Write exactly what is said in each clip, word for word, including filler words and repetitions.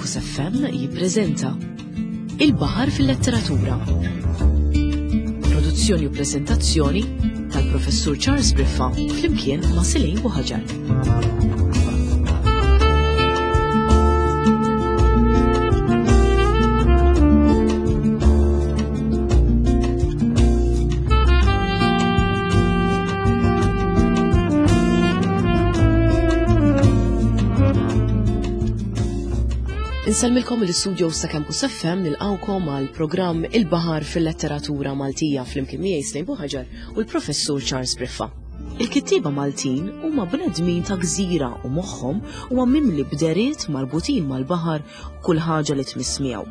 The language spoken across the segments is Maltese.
Campus F M jippreżenta Il-Baħar fil-Letteratura. Produzzjoni u preżentazzjoni tal-Professur Charles Briffa flimkien ma' Celine Buhaġar. Insellmilkom l-istudio ta' Campus F M, nilqawkom għal programm Il-Baħar fil-Letteratura Maltija flimkien miegħi Celine Buhaġar u l-Professur Charles Briffa. Il-kittieba Maltin huma bnedmin ta' gżira u moħħhom huwa mimli bderiet marbutin mal-baħar u kull ħaġa li tmiss miegħu.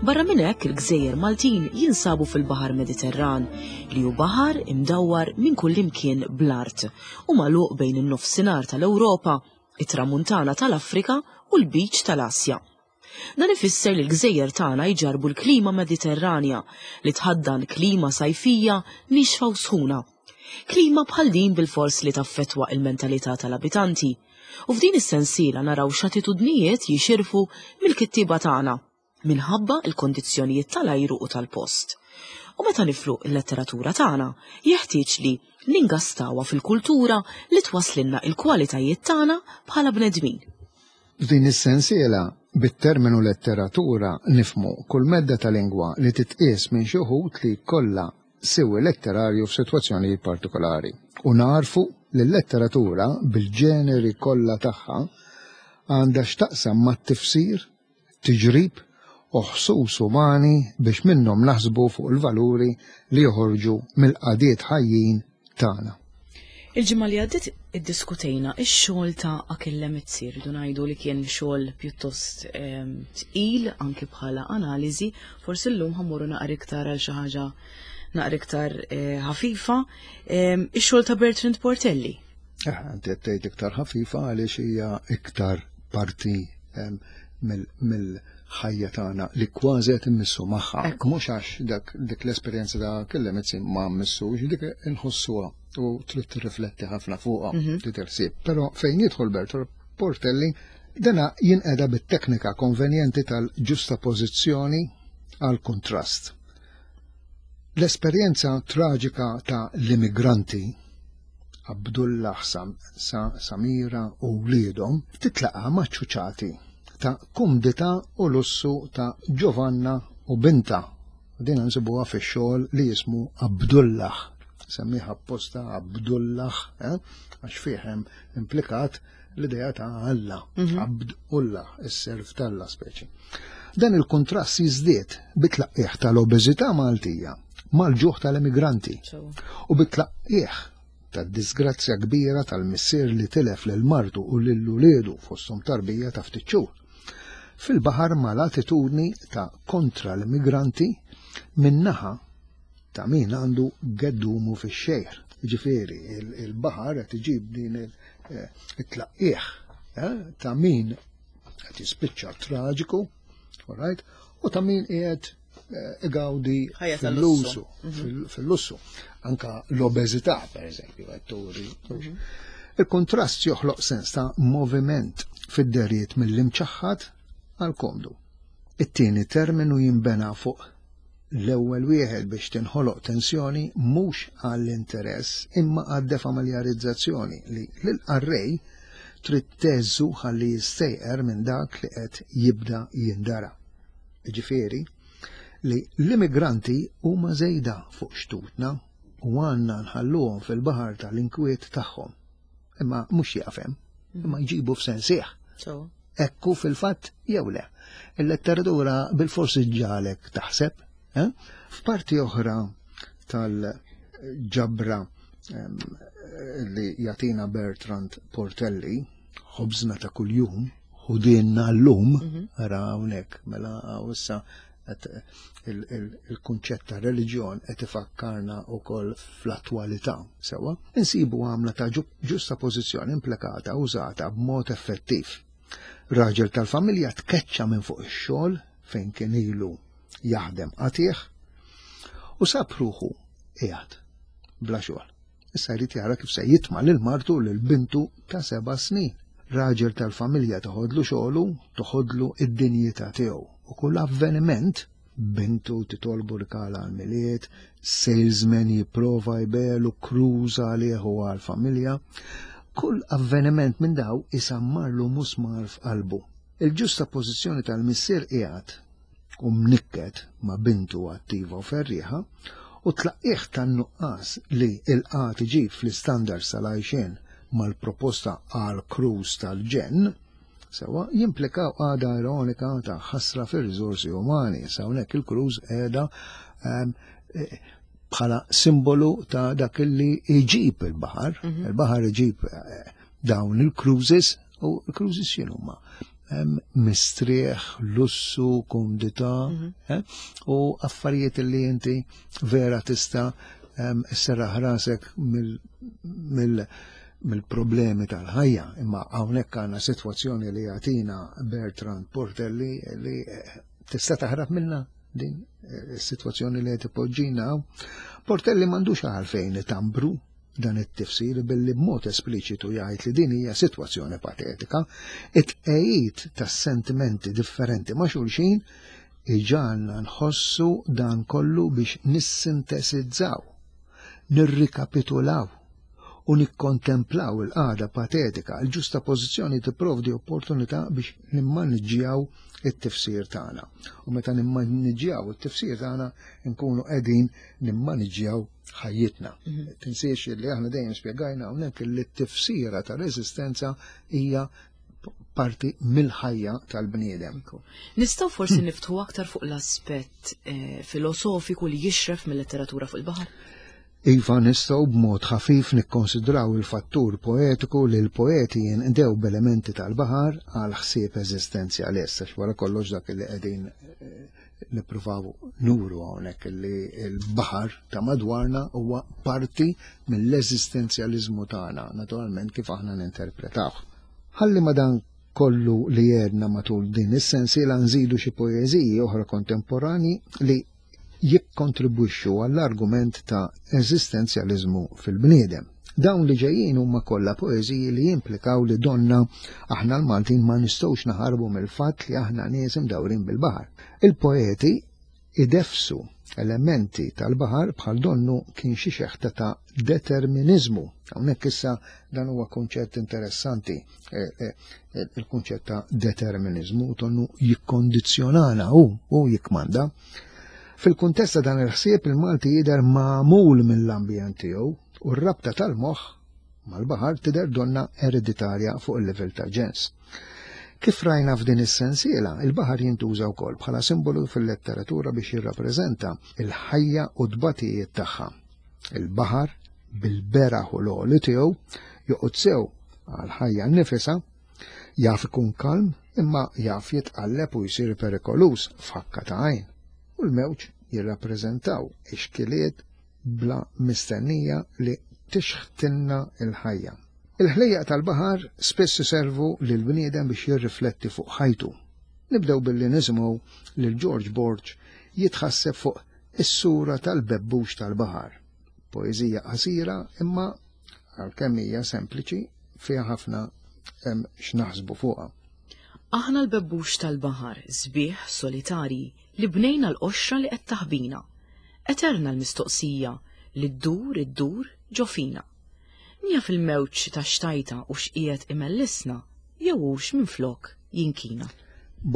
Barra minn hekk il-gżejjer Maltin jinsabu fil-Baħar Mediterran li hu baħar imdawwar minn kull imkien bl-art u magħluq bejn in-nofsinhar tal-Ewropa, it-tramuntana tal-Afrika u l-Beach tal-Asja. Dan ifisser li l-gżejjer tagħna jġarbu l-klima Mediterranja li tħaddan klima sajfija nixfa u sħuna. Klima bħal din bilfors li taffettwa il-mentalità tal-abitanti. U f'din is-sensiela naraw x'attitudnijiet jixirfu mill-kittieba tagħna minħabba l-kondizzjonijiet tal-ajru u tal-post. U meta niflu l-letteratura tagħna, jeħtieġ li ningastawha fil-kultura li twasslilna l-kwalitajiet tagħna bħala bnedmin. F'din is-sensiela, bit-terminu letteratura nifmu kull medda ta' lingwa li titqies minn xi wħud li kollha siwi letterarju f'sitwazzjonijiet partikolari. U narfu li l-letteratura bil-ġeneri kollha tagħha għandha x'taqsam mat-tifsir, tiġrib u ħsus umani biex minnhom naħsbu fuq il-valuri li joħorġu mill-qadiet ħajjin tagħna. Il-ġimgħa li għaddiet iddiskutejna x-xogħol ta' Achille Mizzi, rridu ngħidu li kien xogħol pjuttost, ehm, tqil anki bħala analiżi, forsi llum ħammorru naqra iktar għal xi ħaġa naqra iktar, eh, ħafifa. Ehm, ix-xogħol ta' Bertrand Portelli. Eh, inti qed tgħid iktar ħafifa għaliex hija iktar parti, ehm, mill-, mill-ħajja tagħna li kważi qed immissu magħha. Ekku. Mhux għax dak, dik l-esperjenza ta' Achille Mizzi ma mmissux, dik inħossuha u trid tirrifletti ħafna fuqha, Mhm. trid tirsieb. Però fejn jidħol Bertrand Portelli, dana jinqeda bit-teknika konvenjenti tal-ġustapożizzjoni għal kuntrast. L-esperjenza traġika ta' l-immigranti Abdullah Sam-, Sa-, Samira u wliedhom titlaqa' maċ-ċuċati ta' kumdità u lussu ta' Giovanna u binta. Din nsibuha fix-xogħol li jismu Abdullah. Semmiha apposta Abdullah, eh? Għax fih hemm implikat l-idea ta' Alla, Mhm. Abdullah, is-serv t'Alla speċi. Dan il-kontrast jiżdied bit-tlaqqieħ tal-obeżità Maltija mal-ġuħ tal-emigranti Sewa. u bit-tlaqqieħ tad-disgrazzja kbira tal-missier li tilef lil martu u lil uliedu fosthom tarbija ta' ftit xhur. Fil-baħar mal-attitudni ta' kontra l-immigranti min-naħa ta' min għandu geddumu fix-xejr. Ġifieri, il-, il-baħar qed iġib din il-, eh, it-tlaqqieħ, eh, ta' min qed jispiċċa traġiku, all right, u ta' min qiegħed, eh, igawdi Ħajja tal-lussu. fil-lussu, fil-, fil-lussu. Anka l-obeżità, per eżempju, qed turi. Mhm. Il-kontrast joħloq sens ta' moviment fid-deriet mill-imċaħħad għal komdu. It-tieni terminu jinbena fuq l-ewwel wieħed biex tinħoloq tensjoni mhux għall-interess imma għad-defamiljarizzazzjoni li lill-qarrej trid teżżu ħalli jistejqer minn dak li qed jibda jindara. Jiġifieri li l-immigranti huma żejda fuq xtutna u għandna nħalluhom fil-baħar tal-inkwiet tagħhom. Imma mhux jaqfem, imma jġibu f'sensieħ. Sewa. Ekku fil-fatt jew le. Il-letteratura bil-forsi ġalek taħseb. Eh? F'parti oħra tal-ġabra, ehm, li jatina Bertrand Portelli, ħobżna ta' kuljum, ħudinna llum, Mhm. ara hawnhekk, mela hawn issa qed il-, il-, il-kunċett ta' reliġjon qed ifakkarna wkoll fl-attwalità, sewwa, insibu għamla ta' ġu-, ġusta pożizzjoni implikata użata b'mod effettiv. Raġel tal-familja tkeċċa minn fuq ix-xogħol fejn kien ilu jaħdem qatih u sab ruħu qiegħed bla xogħol. Issa jrid jara kif se jitma' lil martu u lil bintu ta' seba' snin. Raġel tal-familja toħodlu xogħlu, toħodlu id-dinjità tiegħu. U kull avveniment, bintu titolbu rikala għal-Milied, salesman jipprova jbigħlu cruise għalih u għal-familja, kull avveniment minn daw isammarlu musmar f'qalbu. Il-ġustapożizzjoni tal-missier qiegħed u mnikket ma' bintu attiva u ferrieħa u tlaqqih tan-nuqqas li il-qgħad iġib fl-istandards tal-għajxien mal-proposta għal cruise tal-ġenn, sewa jimplikaw għada ironika ta' ħasra fir-riżorsi umani. Sa hawnhekk il-cruise qiegħda ehm, eh, bħala simbolu ta' dak li iġib il-baħar. Mhm. Il-baħar iġib eh, dawn il-cruises u il-cruises x'inhuma? Mistrieħ, lussu, kumdità mhm. eh, u affarijiet li inti vera tista' sserraħ rasek mill mill-problemi tal-ħajja, imma hawnhekk għandna sitwazzjoni li jagħtina Bertrand Portelli li eh, tista' taħrab minna din eh, is-sitwazzjoni li qed ipoġġina. Portelli m'għandux għalfejn itambru dan it-tifsir billi b'mod espliċitu jgħid li din hija sitwazzjoni patetika, it-tqegħid tas-sentimenti differenti ma' xulxin iġagħalna nħossu dan kollu biex nissintesizzaw, nirrikapitulaw u nikkontemplaw il-qagħda patetika. Il-ġustapożizzjoni tipprovdi opportunità biex nimmaniġġjaw it-tifsir tagħna. U meta nimmaniġġjaw it-tifsir tagħna nkunu qegħdin nimmaniġġjaw ħajjitna. Mhm. Tinsiex li aħna dejjem spjegajna hawnhekk li t-tifsira tal-eżistenza hija parti mill-ħajja tal-bniedem. Nistgħu forsi niftħu aktar fuq l-aspett eh, filosofiku li jixref mill-letteratura fuq il-baħar? Iva, nistgħu b'mod ħafif nikkonsidraw il-fattur poetiku li l-poeti jinqdew b'elementi tal-baħar għal ħsieb eżistenzjalist, għax wara kollox dak li qegħdin eh, nippruvaw nuru hawnhekk li l-baħar ta' madwarna huwa parti mill-eżistenzjaliżmu tagħna, naturalment kif aħna ninterpretawh. Ħalli ma dan kollu li jedna matul din is-sensiela nżidu xi poeżiji oħra kontemporani li jikkontribwixxu għall-argument ta' eżistenzjaliżmu fil-bniedem. Dawn li ġejjin huma kollha poeżiji li jimplikaw li donna aħna l-Maltin ma nistgħux naħarbu mill-fatt li aħna nies imdawrin bil-baħar. Il-poeti idefsu elementi tal-baħar bħal donnu kien xi xeħta ta' determiniżmu. Hawnhekk issa dan huwa kunċett interessanti, eh, eh, il-kunċett ta' determiniżmu donnu jikkondizzjonana u u jikmanda. Fil-kuntest ta' dan il-ħsieb il-Malti jidher magħmul mill-ambjent tiegħu u r-rabta tal-moħħ mal-baħar tidher donna ereditarja fuq il-livell ta' ġens. Kif rajna f'din is-sensiela, il-baħar jintuża wkoll bħala simbolu fil-letteratura biex jirrappreżenta il-ħajja u t-tbatijiet tagħha. Il-baħar bil-beraħ u l-għoli tiegħu joqgħod sew għall-ħajja nnifisha, jaf ikun kalm imma jaf jitqalleb u jsir perikoluż f'ħakka ta' għajn. U l-mewġ jirrappreżentaw ix-xkiliet bla mistennija li tixħtilna l-ħajja. Il-ħlejjaq tal-baħar spiss iservu lill-bniedem biex jirrifletti fuq ħajtu. Nibdew billi nisimgħu lil George Borg jitħasseb fuq is-sura tal-bebbux tal-baħar. Poeżija qasira imma għalkemm hija sempliċi fiha ħafna hemm x'naħsbu fuqha. Aħna l-bebbux tal-baħar, sbieħ solitarji, li bnejna l-qoxra li qed taħbina. Eterna l-mistoqsija li ddur iddur ġo fina. Mija fil-mewġ ta' xtajta u x'qiegħed imellisna jew hux minflok jinkina.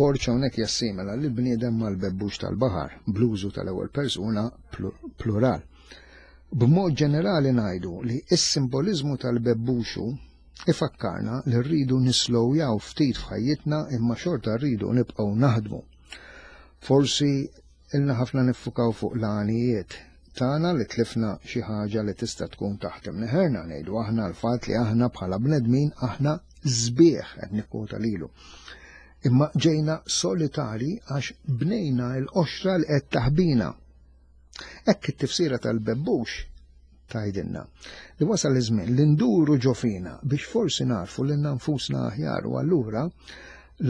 Borg hawnhekk jassimila li l-bniedem mal-bebbux tal-baħar, bl-użu tal-ewwel persuna plural. B'mod ġenerali ngħidu li s-simboliżmu tal-bebbuxu ifakkarna li rridu nislowjaw ftit f'ħajjitna imma xorta rridu nibqgħu naħdmu. Forsi ilna ħafna niffukaw fuq l-għanijiet tagħna li tlifna xi ħaġa li tista' tkun taħt imneħerna, ngħidu aħna l-fatt li aħna bħala bnedmin aħna sbieħ qed nikkwota lilu. Imma ġejna solitari għax bnejna l-qoxra li qed taħbina. Hekk it-tifsira tal-bebbux tgħidilna li wasal iż-żmien li nduru ġo fina biex forsi narfu lilna nfusna aħjar u allura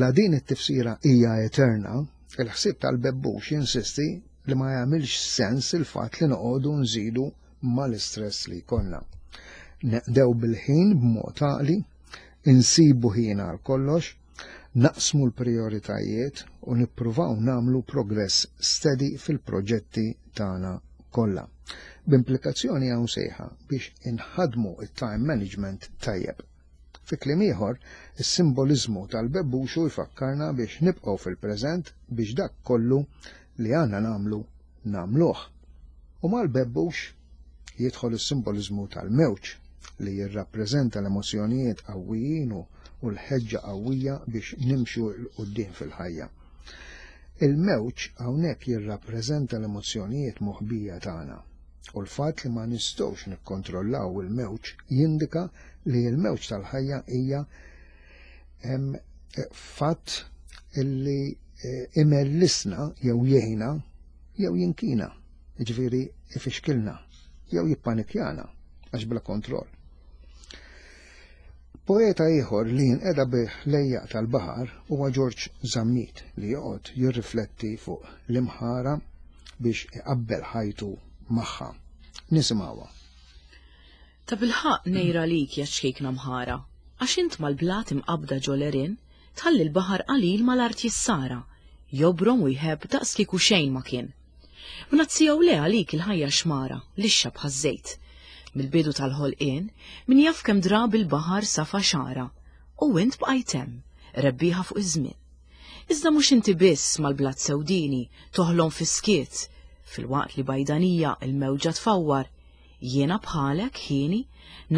la din it-tifsira hija eterna, il-ħsieb tal-bebbux jinsisti li ma jagħmilx sens il-fatt li noqogħdu nżidu mal-istress li jkollna. Neqdew bil-ħin b'mod għaqli, Insibu ħin għal kollox, naqsmu l-prioritajiet u nippruvaw nagħmlu progress steady fil-proġetti tagħna kollha. B'implikazzjoni hawn sejħa biex inħadmu it-time management tajjeb. Fi kliem ieħor, is-simboliżmu tal-bebbuxu jfakkarna biex nibqgħu fil-preżent biex dak kollu li għandna nagħmlu nagħmluh. U mal-bebbux jidħol is-simboliżmu tal-mewġ li jirrappreżenta l-emozzjonijiet qawwijin u l-ħeġġa qawwija biex nimxu 'l quddiem fil-ħajja. Il-mewġ hawnhekk jirrappreżenta l-emozzjonijiet moħbija tagħna u l-fatt li ma nistgħux nikkontrollaw il-mewġ jindika li l-mewġ tal-ħajja hija fatt illi imellisna jew jgħinna jew jinkina, jiġifieri ifixkilna jew jippanikjana għax bla kontroll. Poeta ieħor li jinqeda bih lejjaq tal-baħar huwa Ġorġ Zammit li joqgħod jirrifletti fuq l-imħara biex iqabbel ħajtu magħha. Nisimgħuha. Ta' bilħaqq nejra lik ja ċkejkna mħara, għax int mal-blat imqabda ġolerin, tħalli l-baħar qalil mal-art jissara, jobrom u jħebb daqs kieku xejn ma kien. B'nazzijaw le għalik il-ħajja xmara, lixxa bħaż-żejt. Mill-bidu tal-ħolqien, min jaf kemm drabi l-baħar safa xara, u int bqajt hemm, rebbieħa fuq iż-żmien. Iżda mhux inti biss mal-blat sewdini toħlom fis-skiet, fil-waqt li bajdanija il-mewġa tfawwar, jiena bħalek ħieni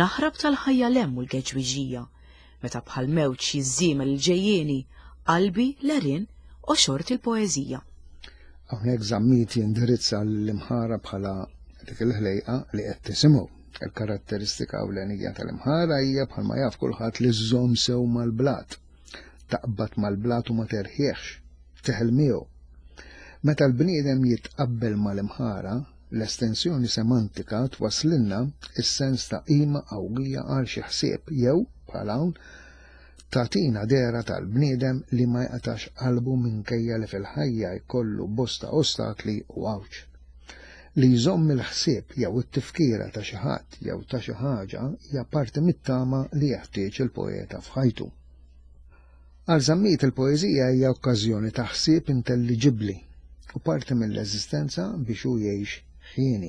naħrab tal-ħajja lem u l-geġwiġija, meta bħal mewġ jiżżiemel il-ġejjieni, qalbi l-għerien u xort il-poeżija. Hawnhekk Zammit jindirizza l-imħara bħala dik il-ħlejqa li qed tisimgħu. Il-karatteristika ewlenija tal-imħara hija bħalma jaf kulħadd li żżomm sew mal-blat, taqbad mal-blat u ma terħiex, teħel miegħu. Meta l-bniedem jitqabbel mal-imħara, l-estensjoni semantika twaslilna is-sens ta' qima qawwija għal xi ħsieb jew, bħal hawn, tagħtina dehra tal-bniedem li ma jqatax qalbu minkejja li fil-ħajja jkollu bosta ostakli u għawġ. Li jżomm il-ħsieb jew it-tifkira ta' xi ħadd jew ta' xi ħaġa hija parti mit-tama li jeħtieġ il-poeta f'ħajtu. Għal Zammit il-poeżija hija okkażjoni ta' ħsieb intelliġibbli u parti mill-eżistenza biex hu jgħix ħieni.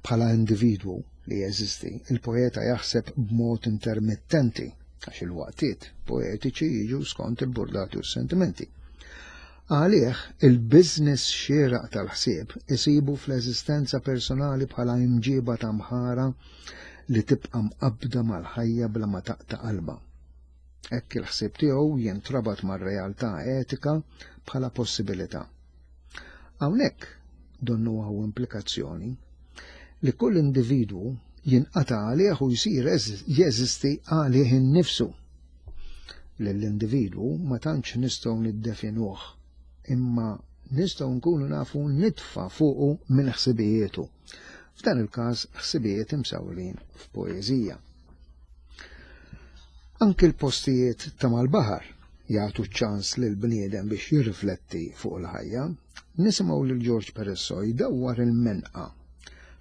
Bħala individwu li jeżisti, il-poeta jaħseb b'mod intermittenti għax il-waqtiet poetiċi jiġu skont il-burdati u s-sentimenti. Għalih, il-biznis xieraq tal-ħsieb isibu fl-eżistenza personali bħala imġiba ta' mħara li tibqa' mqabbda mal-ħajja bla ma taqta' qalba. Hekk il-ħsieb tiegħu jintrabat mar-realtà etika bħala possibilità. Hawnhekk donnu hawn implikazzjoni li kull individwu jinqata' għalih u jsir jeżisti għalih innifsu. Lill-individwu ma tantx nistgħu niddefinuh, imma nistgħu nkunu nafu nitfa' fuqu minn ħsibijietu. F'dan il-każ ħsibijiet imsawrin f'poeżija. Anki l-postijiet ta' mal-baħar jagħtu ċans lil bniedem biex jirrifletti fuq il-ħajja. Nisimgħu lil Ġorġ Peresso jdawwar il-menqa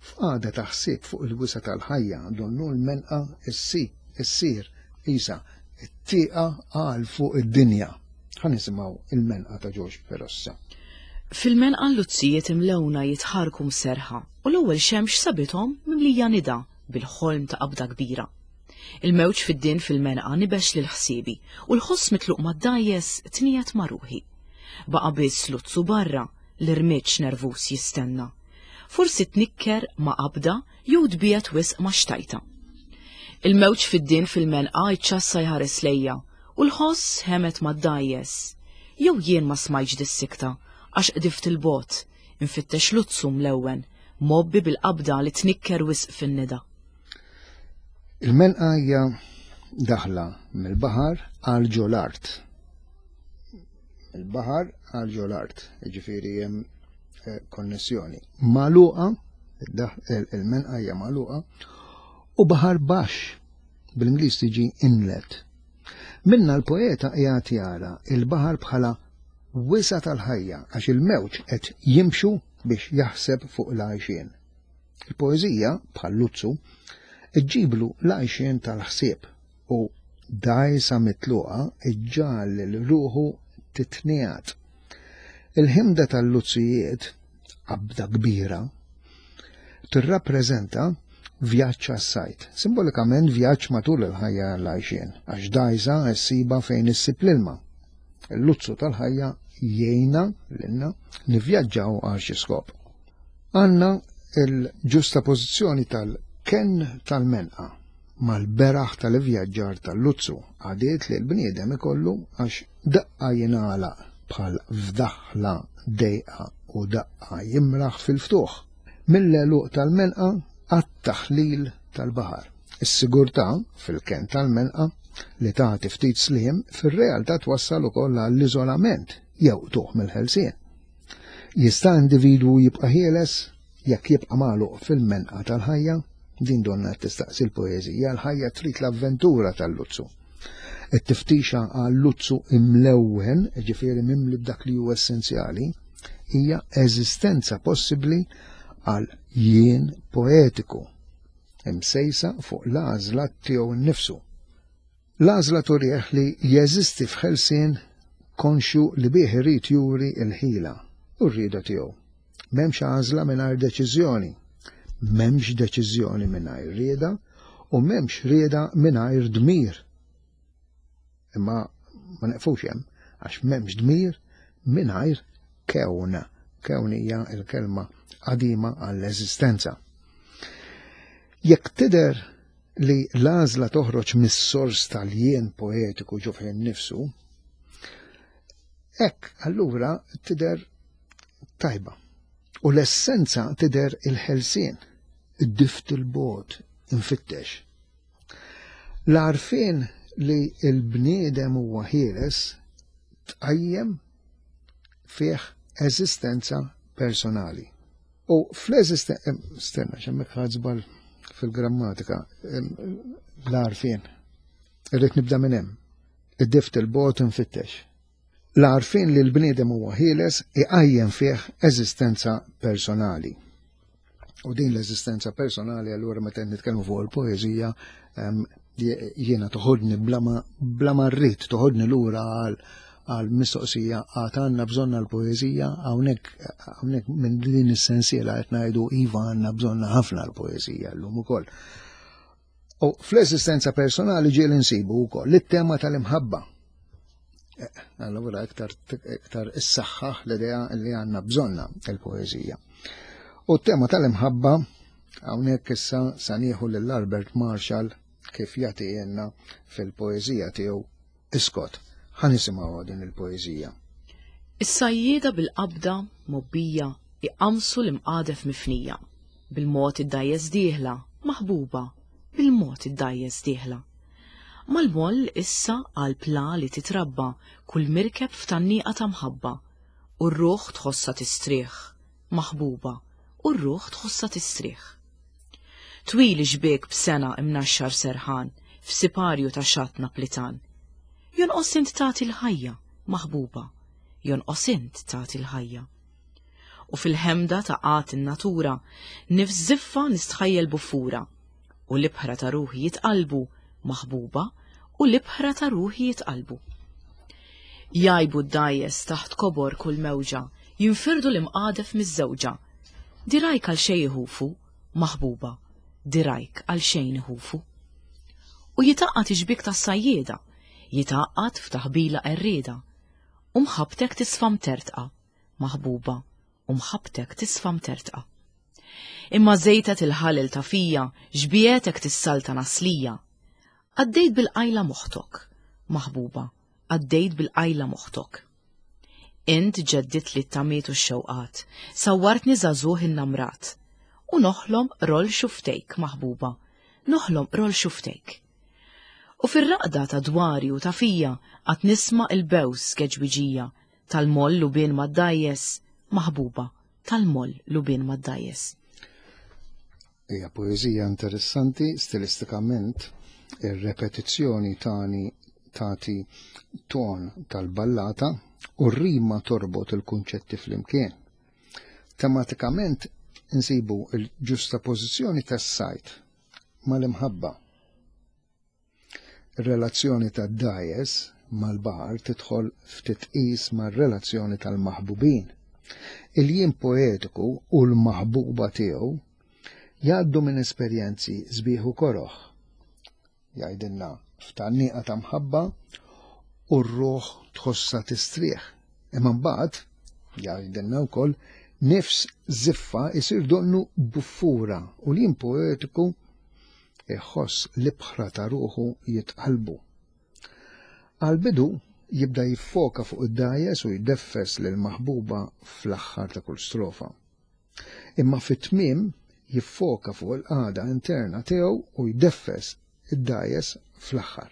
f'qagħda ta' ħsieb fuq il-wisa tal-ħajja, donnu l-menqa issi issir isa it-tieqa għal fuq id-dinja. Ħa nisimgħu il-menqa ta' Ġorġ Perossa. Fil-menqa l-luzzijiet imlewna jitħarku mserħa u l-ewwel xemx sabithom mimlija nida bil-ħolm ta' qabda kbira. Il-mewġ fid-din fil-menqa nibex lil ħsiebi u l-ħoss mitluq mad-dajjes tniet ma' ruħi. Baqa' biss luzzu barra l-irmiġġ nervus jistenna. Forsi tnikker ma' qabda jew tbiet wisq ma' xtajta. Il-mewġ fid-din fil-menqa jċassa jħares lejja u l-ħoss ħemet mad-dajjes. Jew jien ma smajtx dis-sikta għax qdift il-bot, infittex luzzu mlewwen, mobbi bil-qabda li tnikker wisq fin-nida. Il-menqa hija daħla mill-baħar għal ġol-art. Il-baħar għal ġol-art, jiġifieri hemm konnessjoni. Magħluqa, il-menqa hija magħluqa, u baħar baxx, bl-Ingliż tiġi inlet. Minna l-poeta qiegħed jara il-baħar bħala wisa tal-ħajja għax il-mewġ qed jimxu biex jaħseb fuq l-għajxien. Il-poeżija, bħal luzzu, iġġiblu l-għajxien tal-ħsieb u Dgħajsa mitluqa iġġagħal lil ruħu titniegħed. Il-ħimda tal-luzzijiet, qabda kbira, tirrappreżenta vjaġġ għas-sajd, simbolikament vjaġġ matul il-ħajja l-għajxien, għax dgħajsa ssiba fejn issib l-ilma. Il-luzzu tal-ħajja jgħinna lilna nivvjaġġaw għal xi skop. Għandna il-ġustapożizzjoni tal-kenn tal-menqa mal-beraħ tal-ivvjaġġar tal-luzzu, għadiet li l-bniedem ikollu għax daqqa jingħalaq bħal f'daħla dejqa u daqqa jimraħ fil-ftuħ. Mill-għeluq tal-menqa għat-taħlil tal-baħar. Is-sigurtà fil-kenn tal-menqa li tagħti ftit sliem fir-realtà twassal ukoll għall-iżolament jew tuħ mill-ħelsien. Jista' individwu jibqa' ħieles jekk jibqa' magħluq fil-menqa tal-ħajja? Din donna tistaqsi l-poeżija, l-ħajja trid l-avventura tal-luzzu. It-tiftixa għal-luzzu imlewwen, ġifieri mimli b'dak li huwa essenzjali, hija eżistenza possibbli għal jien poetiku, imsejsa fuq l-għażla tiegħu nnifsu. L-għażla turih li jeżisti f'ħelsien konxju li bih irid juri l-ħila u r-rieda tiegħu. M'hemmx għażla mingħajr deċiżjoni, m'hemmx deċiżjoni mingħajr rieda u m'hemmx rieda mingħajr dmir. Imma ma neqfux hemm, għax m'hemmx dmir mingħajr kewn. Kewn hija l-kelma qadima għall-eżistenza. Jekk tidher li l-għażla toħroġ mis-sors tal-jien poetiku ġo fih innifsu, hekk allura tidher tajba. U l-essenza tidher il-ħelsien, id-dift il-bot, infittex. L-għarfien li l-bniedem huwa ħieles tqajjem fih eżistenza personali. U fl-eżistenza, stenna, xemmek ħadżbal fil-grammatika, l-għarfien, irrid nibda minn hemm, id-dift il-bot infittex. L-għarfien li l-bniedem huwa ħieles iqajjem fih eżistenza personali. U din l-eżistenza personali allura meta nitkellmu fuq il-poeżija jiena toħodni bla ma rrid, toħodni lura għal għal mistoqsija għad għandna bżonna l-poeżija, hawnhekk hawnhekk minn din is-sensiela qed ngħidu iva għandna bżonna ħafna l-poeżija llum ukoll. U fl-eżistenza personali ġieli nsibu wkoll it-tema tal-imħabba. Allura iktar iktar issaħħaħ l-idea li għandna bżonna l-poeżija. U t-tema tal-imħabba hawnhekk issa sa nieħu lil Albert Marshall kif jagħtielna fil-poeżija tiegħu Iskot. Ħa nisimgħu din il-poeżija. Is-sajjieda bil-qabda mobbija iqamsu l-imqadef mifnija, bil-mod id-dajjes dieħla, maħbuba, bil-mod id-dajjes dieħla. Mal-moll issa għal pla li titrabba kull mirkeb f'tanniqa ta' mħabba, u r-ruħ tħossa tistrieħ, maħbuba, u r-ruħ tħossa tistrieħ. Twil xbiek b'sena imnaxxar serħan, f'siparju ta' xatt Naplitan. Jonqos int tagħti l-ħajja, maħbuba, jonqos int tagħti l-ħajja. U fil-ħemda ta' qat in-natura, nifs ziffa nistħajjel buffura, u l-ibħra ta' ruħi jitqalbu, maħbuba, u l-ibħra ta' ruħi jitqalbu. Jajbu d-dajjes taħt kobor kull mewġa, jinfirdu l-imqadef miż-żewġa. Dirajk għal xejn iħufu, maħbuba, dirajk għal xejn iħufu. U jitaqqat ixbik tas-sajjieda, jitaqqat f'taħbila qerrieda, u mħabbtek tisfa mtertqa, maħbuba, u mħabbtek tisfa mtertqa. Imma żejtet il-ħalel ta' fija, xbietek tissalta naslija. Għaddejt bil-qajla moħtok, maħbuba, għaddejt bil-qajla moħtok. Int ġeddit li t-tamiet u x-xewqat, sawwartni żagħżugħ in-namrat, u noħlom rol xuftejk, maħbuba, noħlom rol xuftejk. U fir-raqda ta' dwari u ta' fija għad nisma' il-bews geġwiġija tal-moll lubien mad-dajjes, maħbuba, tal-moll lubien mad-dajjes. Hija poeżija interessanti stilistikament, ir-repetizzjoni tani tagħti ton tal-ballata u r-rima torbot il-kunċetti flimkien. Tematikament insibu il-ġustapożizzjoni tas-sajt mal-imħabba. Ir-relazzjoni tad-dgħajjes mal-baħar tidħol f'titqis mar-relazzjoni tal-maħbubin. Il-jien poetiku u l-maħbuba tiegħu jgħaddu minn esperjenzi sbieħ u koroħ. Jgħidilna f'tgħanniqa ta' mħabba u r-ruħ tħossha tistrieħ. Imma mbagħad jgħidilna wkoll nifs żiffa isir donnu buffura u l-jien poetiku iħoss l-ibħra ta' ruħu jitqalbu. Għal-bidu jibda jiffoka fuq id-dgħajjes u jdeffes lil maħbuba fl-aħħar ta' kull strofa. Imma fit-tmiem jiffoka fuq il-qagħda interna tiegħu u jdeffes id-dgħajjes fl-aħħar.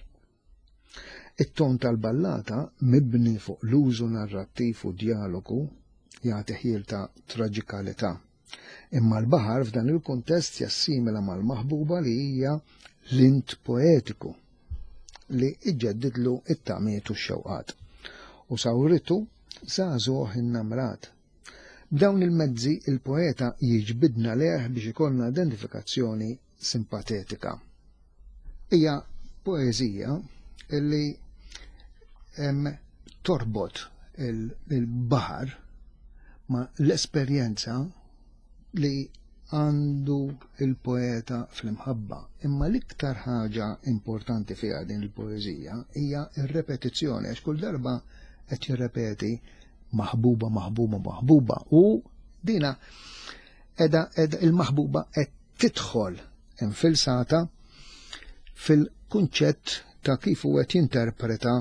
It-ton tal-ballata mibni fuq l-użu narrattiv u dialogu jagħti ħjiel ta' traġikalità. Imma l-baħar f'dan il-kuntest jassimila mal-maħbuba li hija l-int poetiku li iġġeddidlu it-tamiet u x-xewqat. U sawritu żagħżugħ innamrat. B'dawn il-mezzi il-poeta jiġbidna lejh biex ikollna identifikazzjoni simpatetika. Hija poeżija illi em, torbot il-baħar ma l-esperjenza li għandu il-poeta fl-imħabba. Imma l-iktar ħaġa importanti fiha din il-poeżija hija ir-repetizzjoni, għax kull darba qed jirrepeti maħbuba, maħbuba, maħbuba u dina edha, edha il-maħbuba qed tidħol infilsata fil-kunċett ta' kif u qed jinterpreta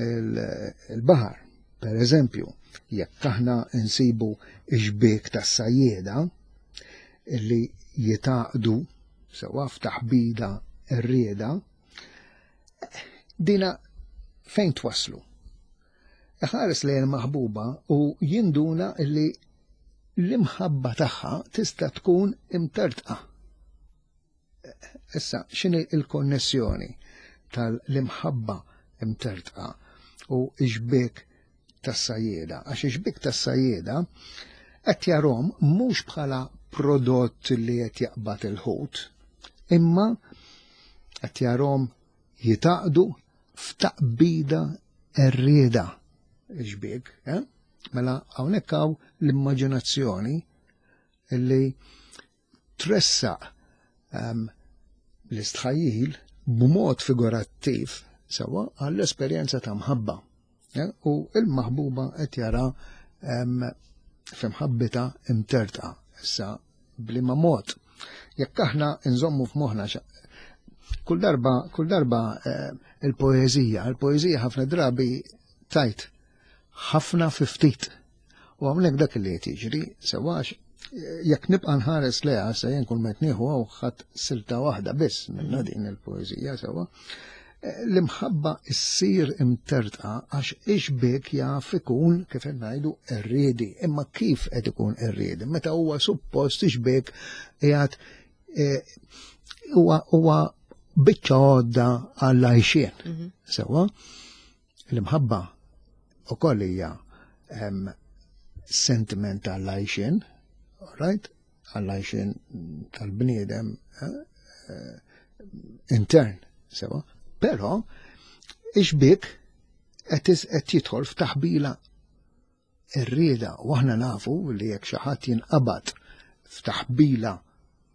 il-baħar. Per eżempju, jekk aħna nsibu xbiek tas-sajjieda illi jitaqdu sewa f'taħbida r-rieda, dina fejn twaslu? Iħares lejn maħbuba u jinduna illi l-imħabba tagħha tista' tkun imtertqa. Issa, x'inhi il-konnessjoni tal-imħabba imtertqa u xbiek tas-sajjieda? Għax xbiek tas-sajjieda qed jarhom mhux bħala prodott li qed jaqbad il-ħut, imma qed jarhom jitaqdu f'taqbida r-rieda xbiek, eh? Mela hawnhekk hawn l-immaġinazzjoni li tressaq um, l-istħajjil b'mod figurattiv sewa għall-esperjenza ta' mħabba. Eh? U il-maħbuba qed jara um, f'imħabbita imtertqa. Issa bliema mod. Jekk aħna nżommu f'moħħna kull darba, kull darba eh, il-poeżija, il-poeżija ħafna drabi tajt ħafna fi ftit. U hawnhekk dak li qed jiġri, sewax jekk nibqa' nħares leha se jien kull met nieħu hawn ħadd silta waħda biss minna din il-poeżija sewa. L-imħabba issir imtertqa għax ix-xbiek jaf ikun kif qed ngħidu qerriedi, imma kif qed ikun qerriedi? Meta huwa suppost ix-xbiek qiegħed huwa huwa biċċa għodda għall-għajxien. Sewa, l-imħabba ukoll hija sentiment għall-għajxien, right? Għall-għajxien tal-bniedem intern, sewa. Però ix-xbiek qed jidħol f'taħbila qerrieda u aħna nafu li jekk xi ħadd jinqabad f'taħbila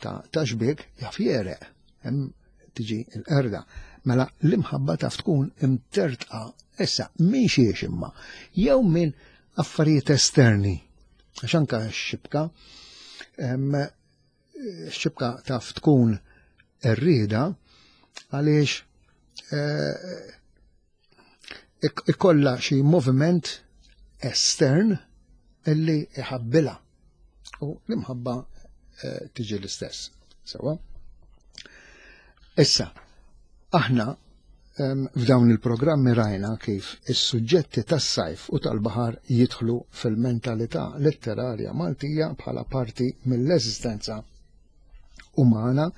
ta' xbiek jaf jereq, hemm tiġi l-qerda. Mela l-imħabba taf tkun imtertqa issa minn xiex imma jew minn affarijiet esterni. Għax anka x-xibka, x-xibka taf tkun qerrieda għaliex ikolla xi moviment estern illi iħabbilha u l-imħabba tiġi l-istess. Sewa? Issa, aħna f'dawn il-programmi rajna kif is-suġġetti tas-sajf u tal-baħar jidħlu fil-mentalità letterarja Maltija bħala parti mill-eżistenza umana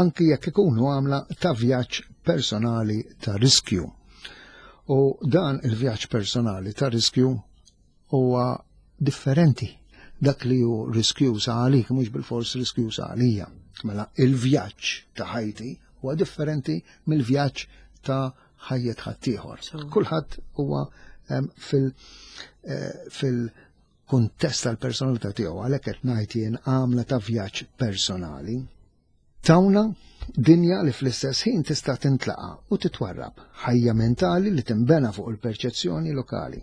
anki jekk ikunu għamla ta' vjaġġ personali ta' riskju. U dan il-vjaġġ personali ta' riskju huwa differenti. Dak li hu riskjuż għalik mhux bilfors riskjuż għalija. Mela il-vjaġġ ta' ħajti huwa differenti mill-vjaġġ ta' ħajjet ħaddieħor. Kulħadd huwa fil- eh, fil-kuntest tal-personalità tiegħu, għalhekk qed ngħid jien għamla ta' vjaġġ personali. Tawna dinja li fl-istess ħin tista' tintlaqa u titwarrab, ħajja mentali li tinbena fuq il-perċezzjoni lokali.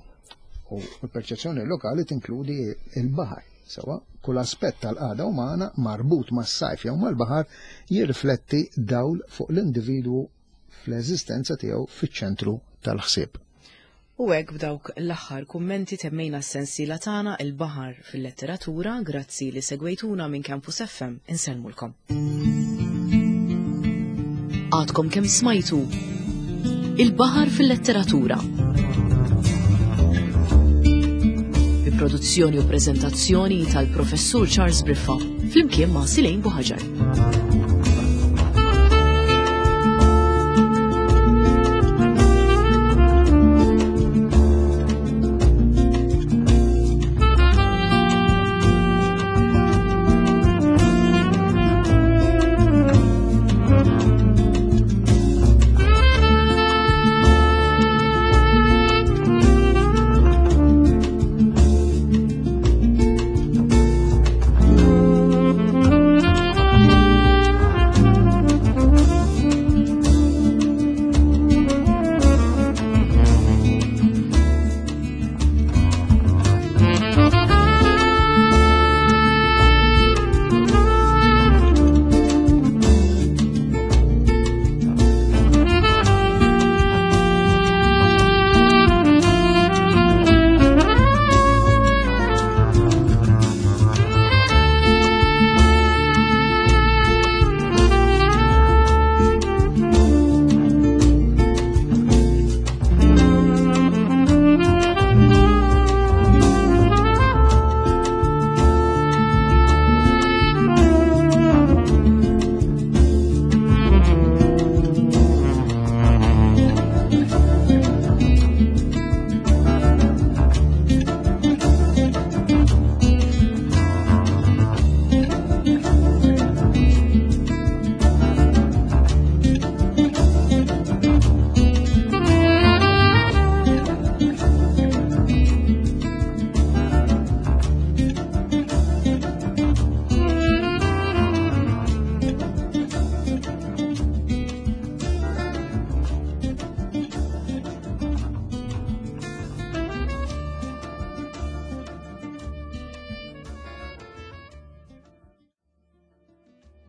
U l-perċezzjoni lokali tinkludi il-baħar. Sewa, kull aspett tal-qagħda umana marbut mas-sajf jew mal-baħar jirrifletti dawl fuq l-individwu fl-eżistenza tiegħu fiċ-ċentru tal-ħsieb. U hekk b'dawk l-aħħar kummenti temmejna s-sensiela tagħna Il-Baħar fil-Letteratura. Grazzi li segwejtuna minn Campus F M. Insellmulkom. Għadkom kemm smajtu Il-Baħar fil-Letteratura. Bi produzzjoni u preżentazzjoni tal-Professur Charles Briffa flimkien ma' Silejn Buħaġar.